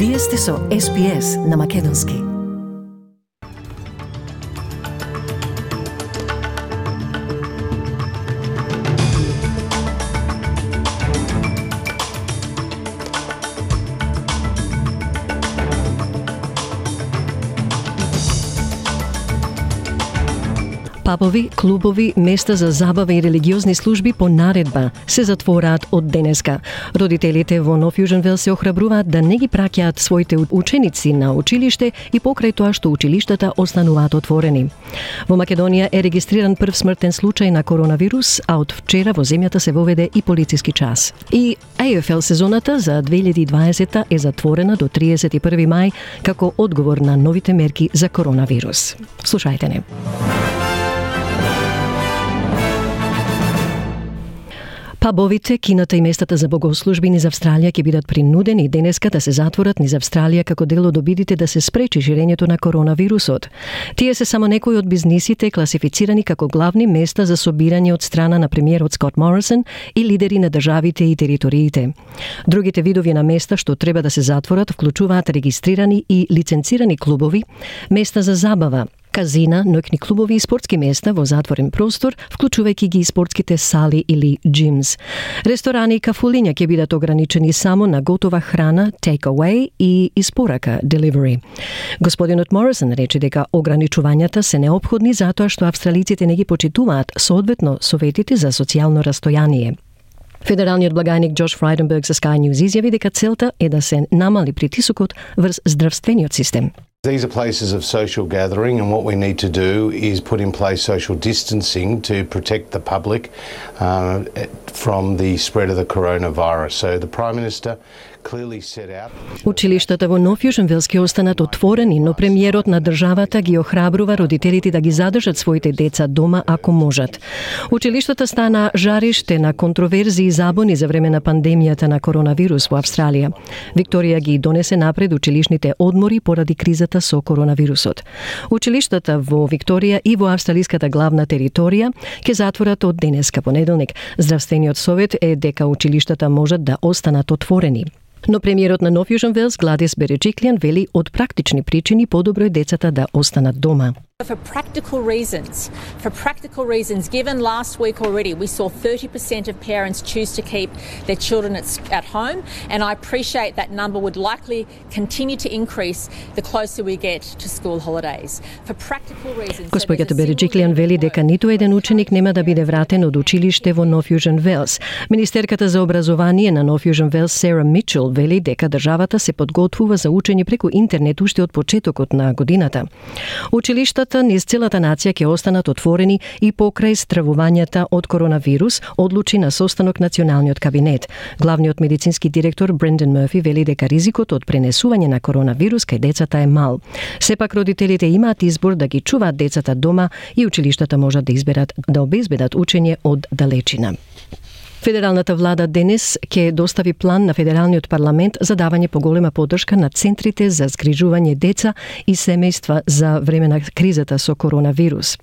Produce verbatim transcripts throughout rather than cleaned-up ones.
Вие сте со Ес Би Ес на Македонски. Пабови, клубови, места за забава и религиозни служби по наредба се затвораат од денеска. Родителите во Нов Јужен Велс се охрабруваат да не ги праќаат своите ученици на училиште и покрај тоа што училиштата остануваат отворени. Во Македонија е регистриран прв смртен случај на коронавирус, а од вчера во земјата се воведе и полициски час. И Ей Еф Ел сезоната за две илјади и дваесета е затворена до триесет и први мај како одговор на новите мерки за коронавирус. Слушајте не. Пабовите, кината и местата за богослужби низ Австралија ќе бидат принудени денеска да се затворат низ Австралија како дел од обидите да се спречи ширењето на коронавирусот. Тие се само некои од бизнисите класифицирани како главни места за собирање од страна на премиерот Скот Морисон и лидери на државите и териториите. Другите видови на места што треба да се затворат вклучуваат регистрирани и лиценцирани клубови, места за забава, казина, ноќни клубови и спортски места во затворен простор, вклучувајќи ги и спортските сали или джимс. Ресторани и кафулиња ќе бидат ограничени само на готова храна, take away и испорака, delivery. Господинот Морисон рече дека ограничувањата се неопходни затоа што австралиците не ги почитуваат, соодветно советите за социјално растојание. Федералниот благајник Джош Фрайденберг за Sky News изјави дека целта е да се намали притисокот врз здравствениот систем. These are places of social gathering, and what we need to do is put in place social distancing to protect the public uh, from the spread of the coronavirus. So the Prime Minister clearly set out. Училиштата во Нов Јужен Велс ќе останат отворени, но премиерот на државата ги охрабрува родителите да ги задржат своите деца дома ако можат. Училиштата стана жариште на контроверзии и забуни за време на пандемијата на коронавирус во Австралија. Викторија ги донесе напред училишните одмори поради кризата со коронавирусот. Училиштата во Викторија и во австралиската главна територија ќе затворат од денеска понеделник. Здравствениот совет е дека училиштата можат да останат отворени. Но премиерот на Нов Јужен Велс Гладис Береджиклијан вели од практични причини подобро е децата да останат дома. For practical reasons, for practical reasons, given last week already we saw thirty percent of parents choose to keep their children at, at home, and I appreciate that number would likely continue to increase the closer we get to school holidays. For practical reasons... Господјата Береджиклијан вели дека ниту еден ученик нема да биде вратен од училиште во Нов Јужен Велс. Министерката за образование на Нов Јужен Велс Сара Мичел вели дека државата се подготвува за учење преку интернет уште од почетокот на годината. Училиштата низ целата нација ќе останат отворени и покрај стравувањата од коронавирус, одлучи на состанок националниот кабинет. Главниот медицински директор Брендан Мерфи вели дека ризикот од пренесување на коронавирус кај децата е мал. Сепак родителите имаат избор да ги чуваат децата дома и училиштата можат да изберат да обезбедат учење од далечина. Федералната влада денес ќе достави план на Федералниот парламент за давање поголема поддршка на центрите за згрижување деца и семејства за време на кризата со коронавирус.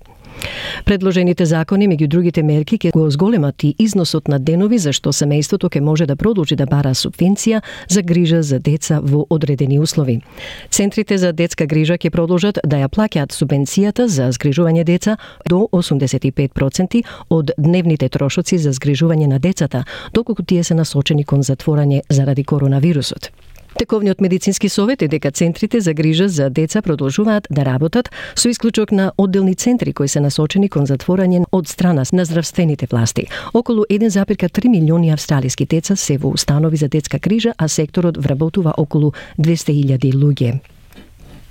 Предложените закони, меѓу другите мерки, ќе го зголемат и износот на денови за што семејството ќе може да продолжи да бара субвенција за грижа за деца во одредени услови. Центрите за детска грижа ќе продолжат да ја плаќаат субвенцијата за згрижување деца до осумдесет и пет проценти од дневните трошоци за згрижување на децата, доколку тие се насочени кон затворање заради коронавирусот. Тековниот медицински совет е дека центрите за грижа за деца продолжуваат да работат со исклучок на одделни центри кои се насочени кон затворање од страна на здравствените власти. Околу еден зарез три милиони австралиски деца се во установи за детска грижа, а секторот вработува околу двесте илјади луѓе.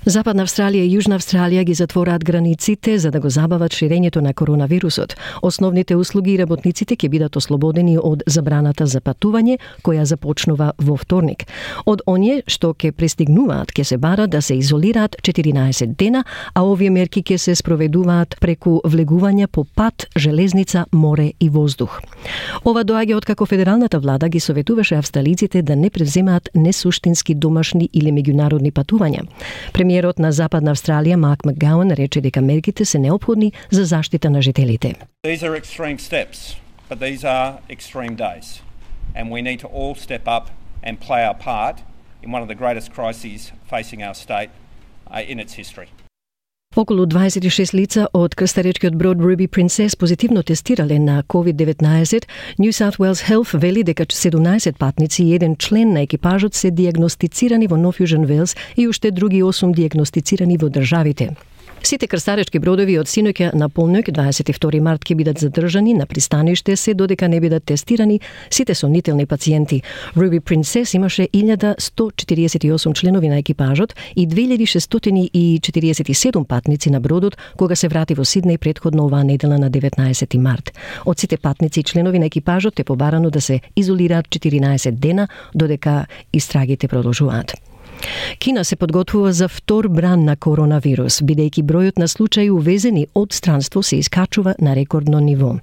Западна Австралија и Јужна Австралија ги затвораат границите за да го забават ширењето на коронавирусот. Основните услуги и работниците ќе бидат ослободени од забраната за патување, која започнува во вторник. Од оние што ќе пристигнуваат ќе се бара да се изолираат четиринаесет дена, а овие мерки ќе се спроведуваат преку влегување по пат, железница, море и воздух. Ова доаѓа откако федералната влада ги советуваше австралиците да не превземаат несуштински домашни или меѓународни патувања. Премиерот на Западна Австралија Марк Макгауан рече дека мерките се неопходни за заштита на жителите. These are extreme steps, but these are extreme days. And we need to all step up and play our part in one of the greatest crises facing our state uh, in its history. Околу дваесет и шест лица од крстаречкиот брод Ruby Princess позитивно тестирале на ковид деветнаесет. New South Wales Health вели дека седумнаесет патници и еден член на екипажот се диагностицирани во Нов Јужен Велс и уште други осум диагностицирани во државите. Сите крстаречки бродови од синоќа на полнок дваесет и втори март ќе бидат задржани на пристаниште се додека не бидат тестирани сите сомнителни пациенти. Ruby Princess имаше илјада сто четириесет и осум членови на екипажот и две илјади шестстотини и четириесет и седум патници на бродот кога се врати во Сиднеј претходно оваа недела на деветнаесети март. Од сите патници и членови на екипажот е побарано да се изолираат четиринаесет дена додека истрагите продолжуваат. Кина се подготвува за втор бран на коронавирус, бидејќи бројот на случаи увезени од странство се искачува на рекордно ниво.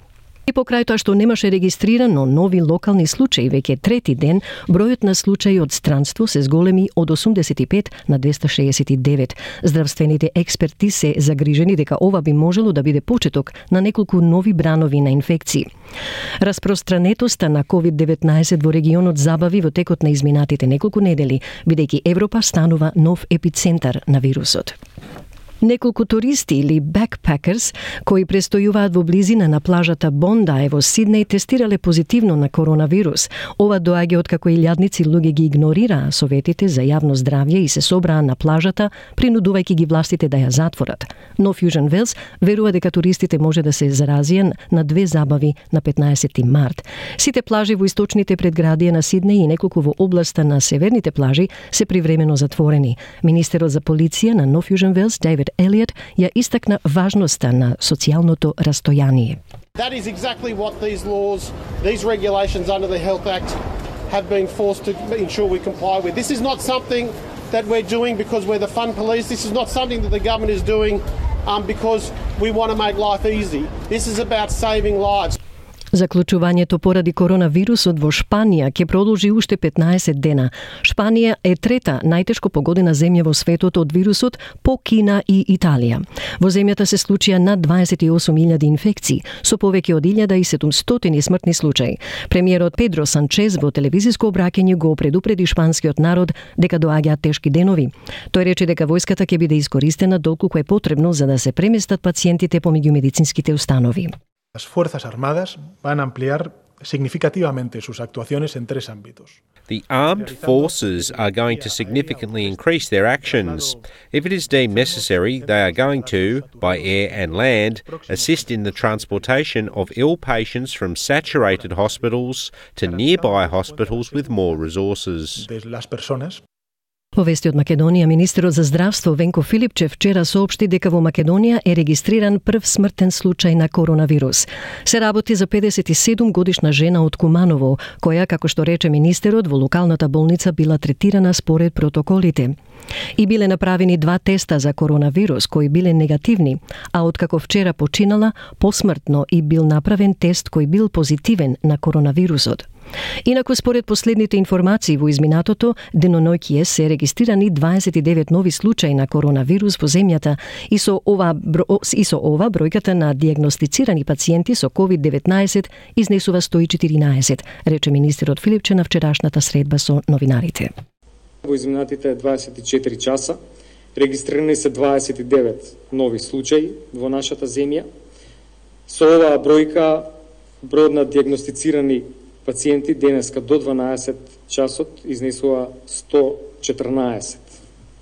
И покрај тоа што немаше регистрирано нови локални случаи, веќе трети ден, бројот на случаи од странство се зголеми од осумдесет и пет на двеста шеесет и девет. Здравствените експерти се загрижени дека ова би можело да биде почеток на неколку нови бранови на инфекции. Распространетоста на ковид деветнаесет во регионот забави во текот на изминатите неколку недели, бидејќи Европа станува нов епицентар на вирусот. Неколку туристи или backpackers кои престојуваат во близина на плажата Бондај во Сиднеј тестирале позитивно на коронавирус. Ова доаѓа откако илјадници луѓе ги игнорираа советите за јавно здравје и се собраа на плажата, принудувајќи ги властите да ја затворат. Нов Јужен Велс верува дека туристите може да се заразија на две забави на петнаесети март. Сите плажи во источните предградија на Сиднеј и неколку во областа на северните плажи се привремено затворени. Министерот за полиција на Нов Јужен Велс, Дейвид Елиот, ја истакна важноста на социјалното растојание. That is exactly what these laws, these regulations under the Health Act have been forced to ensure we comply with. This is not something that we're doing because we're the fun police. This is not something that the government is doing um, because we want to make life easy. This is about saving lives. Заклучувањето поради коронавирусот во Шпанија ќе продолжи уште петнаесет дена. Шпанија е трета најтешко погодена земја во светот од вирусот по Кина и Италија. Во земјата се случија над дваесет и осум илјади инфекции, со повеќе од илјада и седумстотини смртни случаи. Премиерот Педро Санчез во телевизиско обраќање го предупреди шпанскиот народ дека доаѓаат тешки денови. Тој рече дека војската ќе биде искористена долку е потребно за да се преместат пациентите помеѓу медицинските установи. Las Fuerzas Armadas van a ampliar significativamente sus actuaciones en tres ámbitos. The armed forces are going to significantly increase their actions. If it is deemed necessary, they are going to, by air and land, assist in the transportation of ill patients from saturated hospitals to nearby hospitals with more resources. Las personas Во вести од Македонија, министерот за здравство Венко Филипчев вчера соопшти дека во Македонија е регистриран прв смртен случај на коронавирус. Се работи за педесет и седум годишна жена од Куманово, која, како што рече министерот, во локалната болница била третирана според протоколите. И биле направени два теста за коронавирус кои биле негативни, а откако вчера починала, посмртно и бил направен тест кој бил позитивен на коронавирусот. Инаку, според последните информации во изминатото, деноноќие се регистрирани дваесет и девет нови случаи на коронавирус во земјата и со ова, и со ова бројката на диагностицирани пациенти со ковид деветнаесет изнесува сто и четиринаесет, рече министерот Филипче на вчерашната средба со новинарите. Во изминатите дваесет и четири часа регистрирани се дваесет и девет нови случаи во нашата земја. Со оваа бројка, бројот на диагностицирани пациенти денеска до дванаесет часот изнесува сто четрнаесет.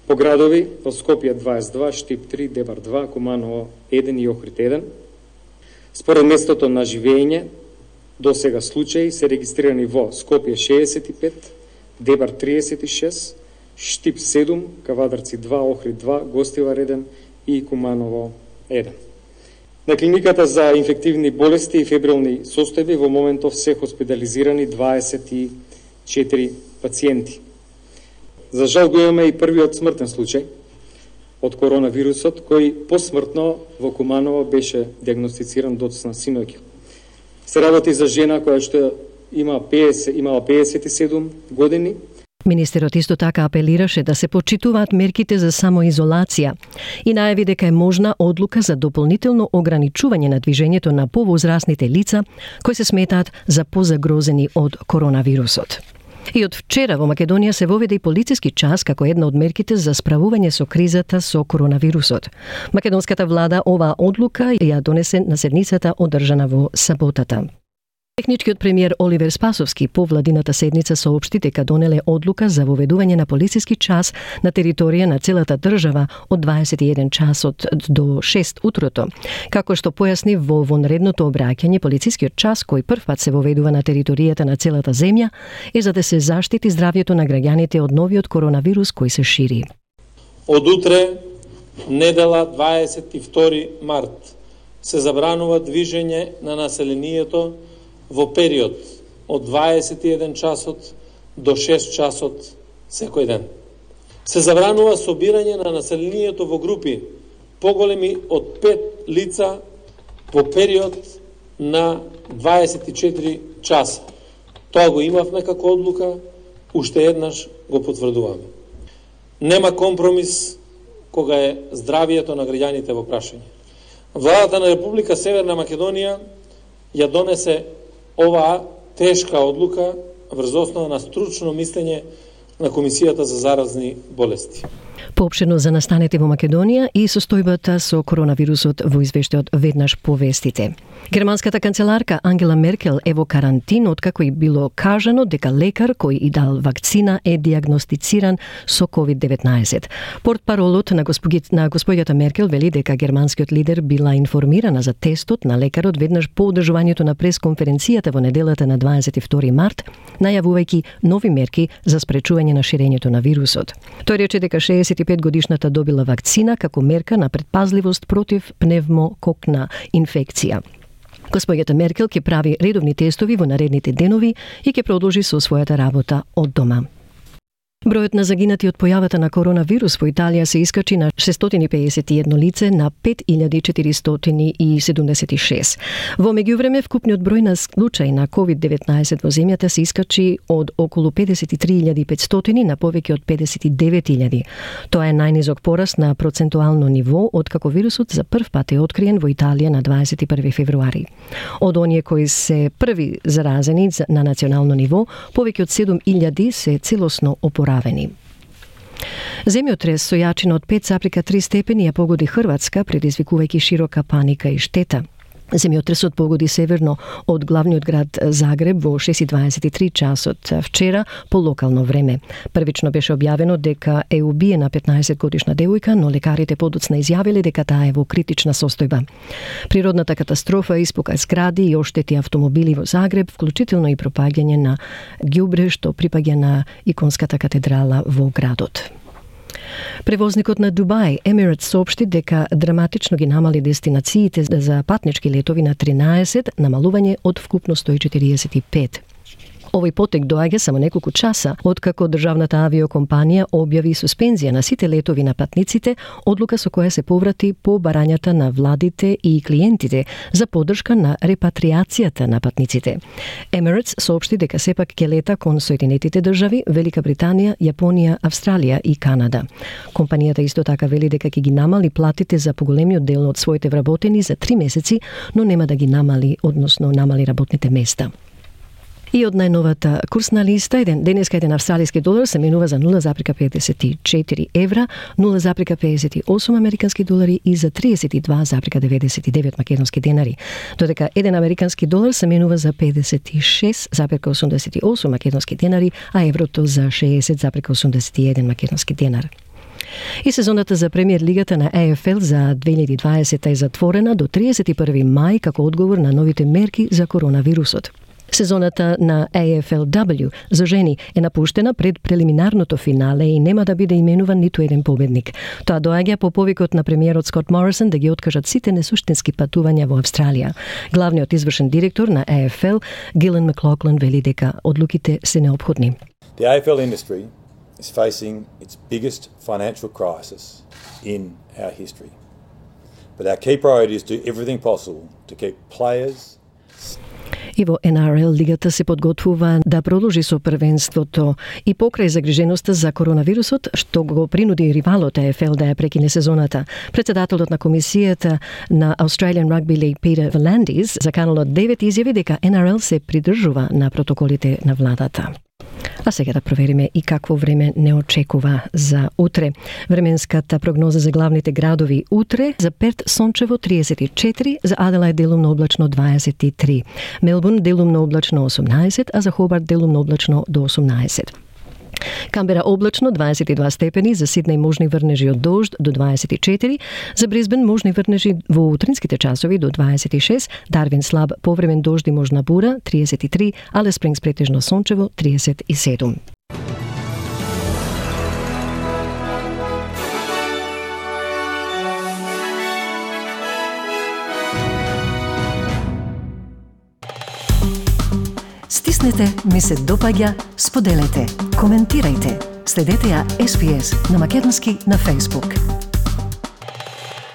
По градови, во Скопје дваесет и два, Штип три, Дебар два, Куманово еден и Охрид еден. Според местото на живење, до сега случаи се регистрирани во Скопје шеесет и пет, Дебар триесет и шест, Штип седум, Кавадарци два, Охрид два, Гостивар еден и Куманово еден. На клиниката за инфективни болести и фебрилни состојби во моментов се хоспитализирани дваесет и четири пациенти. За жал го имаме и првиот смртен случај од коронавирусот, кој посмртно во Куманово беше диагностициран доцна синоќа. Се работи за жена која што има петдесет, имала педесет и седум години. Министерот исто така апелираше да се почитуваат мерките за самоизолација и најави дека е можна одлука за дополнително ограничување на движењето на повозрасните лица кои се сметаат за позагрозени од коронавирусот. И од вчера во Македонија се воведе и полициски час како една од мерките за справување со кризата со коронавирусот. Македонската влада оваа одлука ја донесе на седницата одржана во саботата. Техничкиот премиер Оливер Спасовски по владината седница соопшти дека донеле одлука за воведување на полициски час на територија на целата држава од дваесет и еден часот до шест утрото. Како што појасни во вонредното обраќање, полицискиот час кој првпат се воведува на територијата на целата земја е за да се заштити здравјето на граѓаните од новиот коронавирус кој се шири. Од утре, недела дваесет и втори март, се забранува движење на населението во период од дваесет и еден часот до шест часот секој ден. Се забранува собирање на населението во групи поголеми од пет лица во период на дваесет и четири часа. Тоа го имавме како одлука, уште еднаш го потврдуваме. Нема компромис кога е здравието на граѓаните во прашање. Владата на Република Северна Македонија ја донесе оваа тешка одлука врз основа на стручно мислење на Комисијата за заразни болести. Поопшено за настаните во Македонија и состојбата со коронавирусот во извештајот веднаш по вестите. Германската канцеларка Ангела Меркел е во карантин откако и било кажано дека лекар кој и дал вакцина е диагностициран со ковид деветнаесет. Портпаролот на, на господјата Меркел вели дека германскиот лидер била информирана за тестот на лекарот веднаш по одржувањето на пресконференцијата во неделата на дваесет и втори март, најавувајќи нови мерки за спречување на ширењето на вирусот. Тој рече дека шеесет и пет годишната добила вакцина како мерка на предпазливост против пневмококна инфекција. Господјата Меркел ќе прави редовни тестови во наредните денови и ќе продолжи со својата работа од дома. Бројот на загинати од појавата на коронавирус во Италија се искачи на шестстотини и педесет и едно лице на пет илјади четиристотини и седумдесет и шест. Во меѓувреме, вкупниот број на случаи на ковид деветнаесет во земјата се искачи од околу педесет и три илјади и петстотини на повеќе од педесет и девет илјади. Тоа е најнизок пораст на процентуално ниво откако вирусот за прв пат е откриен во Италија на дваесет и први февруари. Од оние кои се први заразени на национално ниво, повеќе од седум илјади се целосно опоравени. Земјотрес со јачина од пет запирка три степени ја погоди Хрватска, предизвикувајќи широка паника и штета. Земјотресот погоди северно од главниот град Загреб во шест и дваесет и три часот вчера по локално време. Првично беше објавено дека е убиена петнаесет годишна девојка, но лекарите подоцна изјавиле дека таа е во критична состојба. Природната катастрофа испука згради и оштети автомобили во Загреб, вклучително и пропаѓање на ѓубре што припаѓа на иконската катедрала во градот. Превозникот на Дубај, Emirates, соопшти дека драматично ги намали дестинациите за патнички летови на тринаесет, намалување од вкупно сто и четириесет и пет. Овој потек доаѓа само неколку часа откако државната авиокомпанија објави суспензија на сите летови на патниците, одлука со која се поврати по барањата на владите и клиентите за поддршка на репатриацијата на патниците. Emirates соопшти дека сепак ќе лета кон Соединетите држави, Велика Британија, Јапонија, Австралија и Канада. Компанијата исто така вели дека ќе ги намали платите за поголемиот дел од своите вработени за три месеци, но нема да ги намали, односно намали работните места. И од најновата курсна листа, еден денеска еден австралиски долар се менува за нула запирка педесет и четири евра, нула запирка педесет и осум американски долари и за триесет и два запирка деветдесет и девет македонски денари. Додека еден американски долар се менува за педесет и шест запирка осумдесет и осум македонски денари, а еврото за шеесет запирка осумдесет и еден македонски денар. И сезоната за премиер лигата на Е Ф Л за две илјади и дваесета е затворена до триесет и први мај како одговор на новите мерки за коронавирусот. Сезоната на Е Ф Л W за жени е напуштена пред прелиминарното финале и нема да биде именуван ниту еден победник. Тоа доаѓа по повикот на премиерот Скот Морисон да ги откажат сите несуштински патувања во Австралија. Главниот извршен директор на Е Ф Л, Гилен Маклоклан, вели дека одлуките се неопходни. The A F L industry is facing its biggest financial crisis in our history. But our key priority is to do everything possible to keep players. И во Н Р Л лигата се подготвува да продолжи со првенството и покрај загриженоста за коронавирусот што го принуди ривалот Е Ф Л да ја прекине сезоната. Председателот на комисијата на Australian Rugby League Peter V'landys за Каналот девет изјави дека Н Р Л се придржува на протоколите на владата. А сега да провериме и какво време не очекува за утре. Временската прогноза за главните градови утре: за Перт сончево триесет и четири, за Аделаид делумно облачно дваесет и три, Мелбурн делумно облачно осумнаесет, а за Хобарт делумно облачно до осумнаесет. Камбера облачно дваесет и два степени, за Сиднеј можни врнежи од дожд до дваесет и четири, за Брисбен можни врнежи во утринските часови до дваесет и шест, Дарвин слаб повремен дожд и можна бура триесет и три, Алис Спрингс претежно сончево триесет и седум. Стиснете, ми се допаѓа, споделете, коментирајте. Следете ја Ес Би Ес на македонски на Facebook.